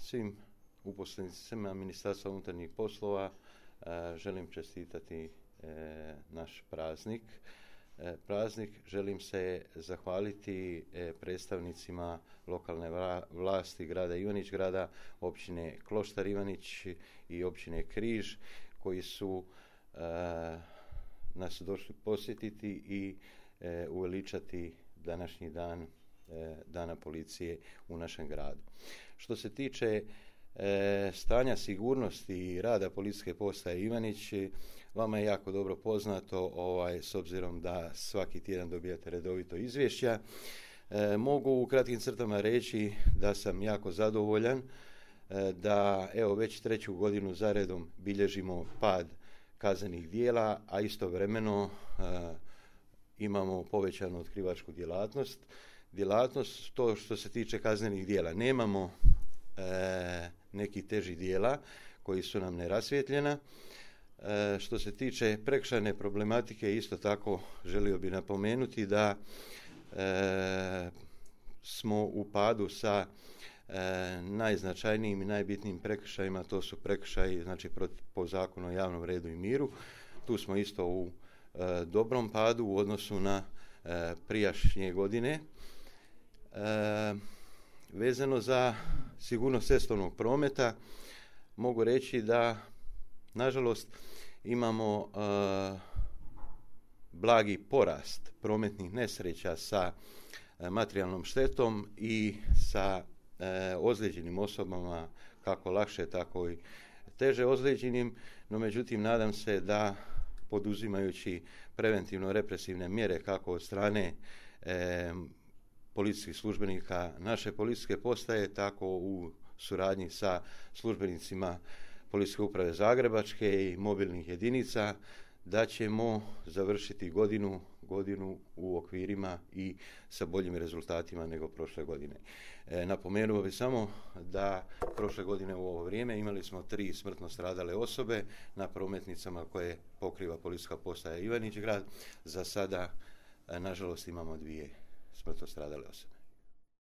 svim uposlenicima Ministarstva unutarnjih poslova želim čestitati naš praznik. Želim se zahvaliti predstavnicima lokalne vlasti grada Ivanić Grada, općine Kloštar Ivanić i općine Križ koji su nas došli posjetiti i uveličati današnji dan Dana policije u našem gradu. Što se tiče stanja sigurnosti i rada policijske postaje Ivanić, vama je jako dobro poznato, s obzirom da svaki tjedan dobijate redovito izvješća. Mogu u kratkim crtama reći da sam jako zadovoljan da već 3. godinu zaredom bilježimo pad kaznenih djela, a istovremeno imamo povećanu otkrivačku djelatnost. To što se tiče kaznenih djela, nemamo neki teži djela koji su nam nerasvjetljena. Što se tiče prekršajne problematike, isto tako želio bih napomenuti da smo u padu sa najznačajnijim i najbitnijim prekršajima, to su prekršaji po Zakonu o javnom redu i miru. Tu smo isto u dobrom padu u odnosu na prijašnje godine. Vezano za sigurnost cestovnog prometa, mogu reći da, nažalost, imamo blagi porast prometnih nesreća sa materijalnom štetom i sa ozlijeđenim osobama, kako lakše, tako i teže ozlijeđenim, no međutim nadam se da poduzimajući preventivno-represivne mjere kako od strane policijskih službenika naše policijske postaje, tako u suradnji sa službenicima Policijske uprave Zagrebačke i mobilnih jedinica, da ćemo završiti godinu u okvirima i sa boljim rezultatima nego prošle godine. Napomenuo bih samo da prošle godine u ovo vrijeme imali smo 3 smrtno stradale osobe na prometnicama koje pokriva Policijska postaja Ivanić Grad. Za sada, nažalost, imamo 2 smrtno stradale osobe.